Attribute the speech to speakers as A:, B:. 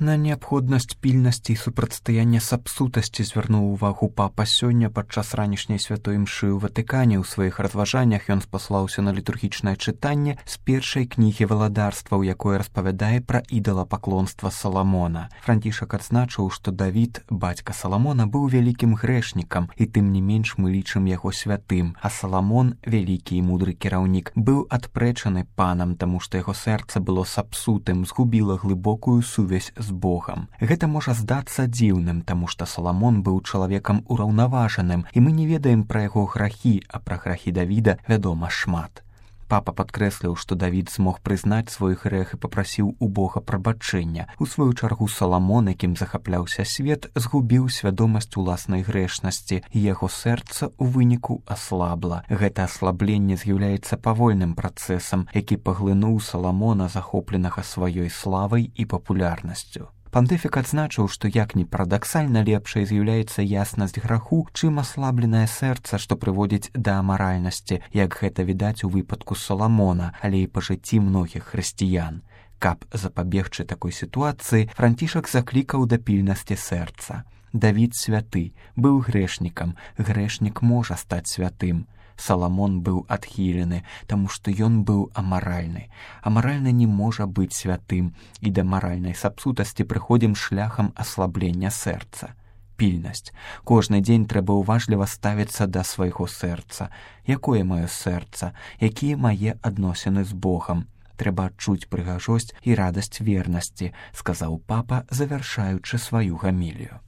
A: На неабходнасць пільнасці і супрацьстаяння сапсутасці звярнуў увагу папа сёння падчас ранішняй святой імшы ў Ватыкане. У сваіх разважаннях ён спаслаўся на літургічнае чытанне з першай кнігі валадарстваў, якое распавядае пра ідалапаклонства Саламона. Францішак адзначыў, што Давід, бацька Саламона, быў вялікім грэшнікам, і тым не менш мы лічым яго святым, а Саламон, вялікі і мудры кіраўнік, быў адпрэчаны панам, таму што яго сэрца было сапсутым, згубіла глыбокую сувязь з Богам. Гэта можа здацца дзіўным, таму што Саламон быў чалавекам ураўнаважаным, і мы не ведаем пра яго грахі, а пра грахі Давіда вядома шмат. Папа падкрэсліў, што Давід змог прызнаць свой грэх і папрасіў у Бога прабачэння. У сваю чаргу Саламон, якім захапляўся свет, згубіў свядомасць уласнай грэшнасці, і яго сэрца ў выніку аслабла. Гэта аслабленне з'яўляецца павольным працэсам, які паглынуў Саламона, захопленага сваёй славай і папулярнасцю. Пантыфік адзначыў, што як ні парадаксальна лепшай з'яўляецца яснасць граху, чым аслабленае сэрца, што прыводзіць да амаральнасці, як гэта відаць у выпадку Саламона, але і па жыцці многіх хрысціян. Каб запабегчы такой сітуацыі, Францішак заклікаў да пільнасці сэрца. Давід святы, быў грэшнікам, грэшнік можа стаць святым. Саламон быў адхілены, таму што ён быў амаральны. Амаральны не можа быць святым, і да маральнай сапсутасці прыходзім шляхам аслаблення сэрца. Пільнасць. Кожны дзень трэба ўважліва ставіцца да свайго сэрца. Якое маё сэрца? Якія мае адносіны з Богам? Трэба адчуць прыгажосць і радасць вернасці, сказаў папа, завяршаючы сваю гамілію.